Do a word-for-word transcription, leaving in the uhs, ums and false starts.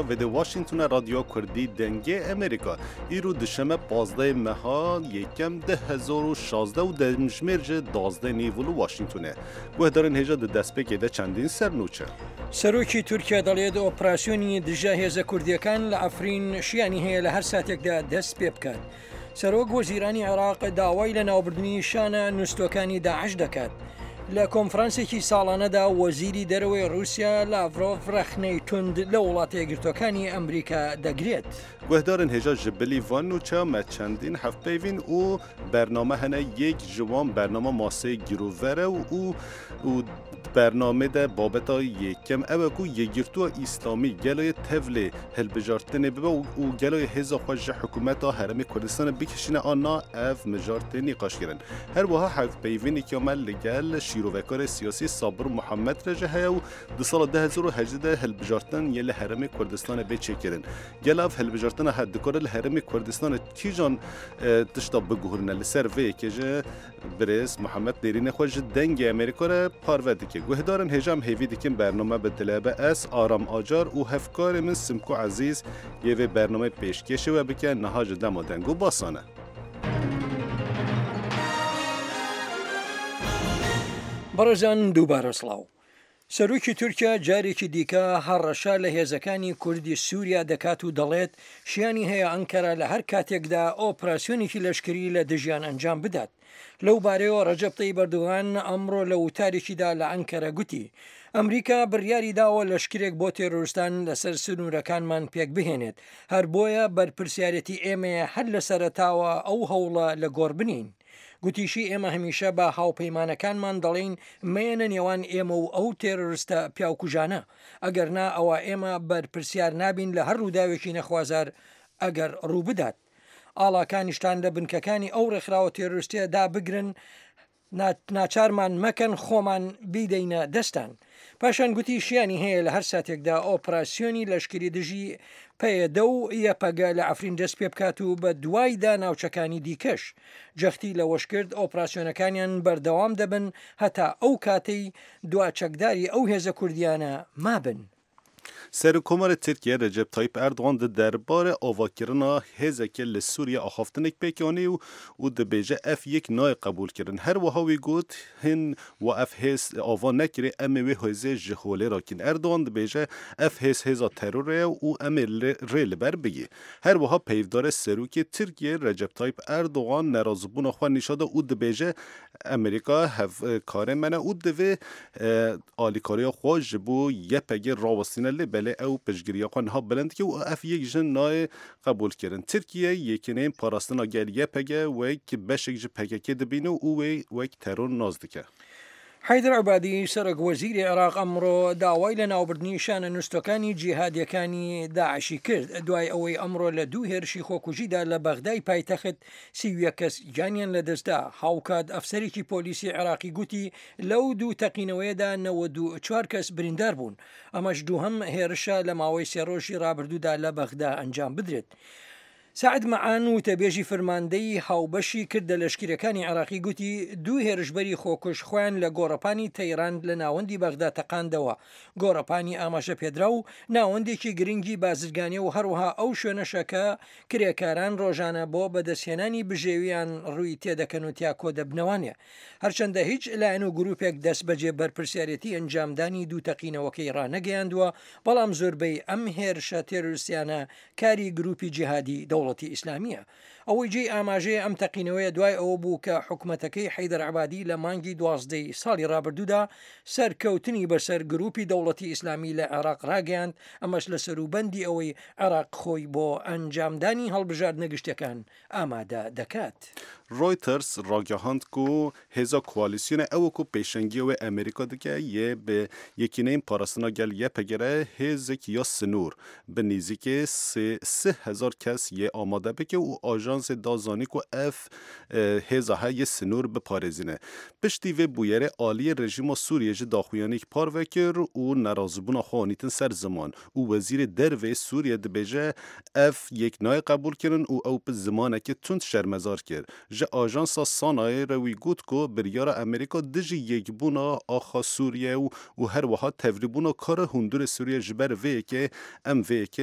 Vê Washingtona Radyoya Kurdî Dengê Amerîka îro duşeme pazdeh meha yekem du hezar û şazdeh û demjimêr ji duwazdeh nîv li Washingtonê. Guhdarên hêja di destpêkê de çendîn ser nûçe. سەرۆکی تورکیا دەڵێت ئۆپراسیۆنی دژە هێزە کوردیەکان لە عەفرین شیانی هەیە لە هەر ساتێکدا دەست پێ بکات. سەرۆک وەزیرانی عێراق داوای لە ناوبردنی شانە نووسوەکانی داعش دەکات. لە کۆنفرانسێکی ساڵانەدا وەزیری دەرەوەی رووسیا لاڤرۆڤ ڕەخنەی توند لە وڵاتە یەکگرتووەکانی ئەمریکا دەگرێت. Guhdarên hêja ji bilî van nûçeya me çendîn hevpeyvîn û bername hene yek ji wan bernama maseyê girover e û û bernamê de babeta yekem ew e ku Yekgirtûya Îslamî geloyê tevlê hilbijartinê bibe û geloyê hêza xwe ji hikûmeta Herêmê Kurdistanê bikişîne an na ev mijar tê nîqaşkirin. Her wiha hevpeyvînêkiya me li gel şîrovekarê siyasî Sabir Muhammed re jî heye û di sala du hezar û hejdeh de hilbijartin yê li Herêmê Kurdistanê bê çêkirin. Gel ev hilbijartina her dikare li Herêmê Kurdistanê kîjan tişta biguherîne li ser vê yekê ji birêz Muhammed Dêrînê xwe ji Dengê Amerîka re parve dike. Guhdarên hêja em hêvî dikin bername bi dile be ez Aram Acar û hevkarê min Simko Ezîz yê vê bernameyê pêşkêşê we bike niha ji dema deng û basan e. بەڕێزان دووبارە سڵاو. سەرۆکی تورکیا جارێکی دیکە هەڕەشە لە هێزەکانی کوردی سووریا دەکات و دەڵێت شیانی هەیە ئەنکەرە لە هەر کاتێکدا ئۆپراسیۆنێکی لەشکری لە دژیان ئەنجام بدات. لەو بارەیەوە ڕەجەب تەیب ئەردۆغان ئەمڕۆ لە وتارێکیدا لە ئەنکەرە گوتی ئەمریکا بڕیاری داوە لەشکرێک بۆ تێرۆرستان لەسەر سنوورەکانمان پێک بهێنێت، هەر بۆیە بەرپرسیارەتی ئێمەیە هەر لە سەرەتاوە ئەو هەوڵە لە گۆڕ بنین. گوتیشی ئێمە هەمیشە بە هاوپەیمانەکانمان دەڵێین مەیەنە نێوان ئێمە و ئەو تێرۆرستە پیاوکوژانە، ئەگەر نا ئەوە ئێمە بەرپرسیار نابین لە هەر ڕووداوێکی نەخوازار ئەگەر ڕوو بدات. ئاڵاکانیشتان لە بنکەکانی ئەو ڕێکخراوە تێرۆریستیە دابگرن، ناچارمان مەکەن خۆمان بیدەینە دەستان. پاشان گوتی شیانی هەیە لە هەر ساتێکدا ئۆپراسیۆنی لەشکری دژی پەیەدە و یەپەگە لە عەفرین دەست پێ بکات و بە دوایدا ناوچەکانی دیکەش. جەختی لەوەش کرد ئۆپراسیۆنەکانیان بەردەوام دەبن هەتا ئەو کاتەی دوا چەکداری ئەو هێزە کوردیانە مابن. Serokkomarê Tirkiye Recep Tayyip Erdogan di derbarê avakirina hêzekê li Sûriye axaftinek pêk anî û û dibêje ev yek nayê qebûlkirin. Her wiha wî got hin we ev hêz ava nekirê em ê wê hêzê ji holê rakin. Erdogan dibêje ev hêz hêza terorê ye û em ê rê li ber bigî. Her wiha peyvdarê Serokê Tirkiye Recep Tayyip Erdogan nerazîbûna xwe nîşan da û dibêje Amerîka hevkarê me ne û divê alîkariya xwe ji bo YPG rawestîne lê belê ew piştgiriya xwe niha bilind dike û ev yek ji nayê qebûlkirin. Tirkiye yekîneyên parastina gel YPG wek beşek ji PKK dibîne û wê wek teror nas dike. حەیدەر عەبادی سەرۆک وەزیری عێراق ئەمڕۆ داوای لە ناوبردنی شانە نووسەکانی جیهادیەکانی داعشی کرد دوای ئەوەی ئەمڕۆ لە دوو هێرشی خۆکوژیدا لە بەغدای پایتەخت سی و یەک کەس گیانیان لەدەستدا. هاوکات ئەفسەرێکی پۆلیسی عێراقی گوتی لەو دوو تەقینەوەیەدا نەوەد و چوار کەس بریندار بوون. ئەمەش دووهەم هێرشە لە ماوەی سێ ڕۆژی ڕابردوودا لە بەغدا ئەنجام بدرێت. سعد معان وتەبێژی فەرماندەی هاوبەشی کردە لەشکرەکانی عێراقی گوتی دوو هێرشبەری خۆکوژ خۆیان لە گۆڕەپانی تەیران لە ناوەندی بەغدا تەقاندەوە. گۆڕەپانی ئاماژە پێدرا و ناوەندێکی گرنگی بازرگانی و هەروەها ئەو شوێنەشە کە کرێکاران ڕۆژانە بۆ بەدەستهێنانی بژێویان ڕووی تێدەکەن و تیا کۆدەبنەوانێ. هەرچەندە هیچ لایەن و گروپێک دەست بەجێ بەرپرسیارەتی ئەنجامدانی دوو تەقینەوەکەی ڕانەگەیاندووە، بەڵام زۆربەی ئەم هێرشە تێرۆریستیانە کاری گروپی جیهادی دەوڵەتی ئیسلامیە. ئەوەی جێی ئاماژەیە ئەم تەقینەوەیە دوای ئەوە بوو کە حکومەتەکەی حەیدەر عەبادی لە مانگی دوازدەی ساڵی ڕابردوودا سەرکەوتنی بەسەر گروپی دەوڵەتی ئیسلامی لە عێراق ڕاگەیاند، ئەمەش لە سەروبەندی ئەوەی عێراق خۆی بۆ ئەنجامدانی هەڵبژاردنە گشتیەکان ئامادە دەکات. Reuters ragihand ku hêza koalîsyonê ew ku pêşengiya wê Amerîka dike yê bi yekîneyên parastina gel YPG re hêzek ya sinûr bi nêzîkê sê sih hezar kes yê amade bike û ajansê da zanî ku ev hêza heye sinûr biparêzîne. Piştî vê bûyerê aliyê rejîma Sûriyê ji daxuyaniyek parve kir û nerazîbûna xwe anîtin ser ziman û wezîrê dervê Sûriye dibêje ev yek nayê qebûlkirin û ew bi zimanekî tund şermezar kir. Ji Ji ajansa Sanayê re wî got ku biryara Amerîka dijî yekbûna axa Sûriye û û her wiha tevlîbûna karê hundurê Sûriye ji ber vê yekê em vê yekê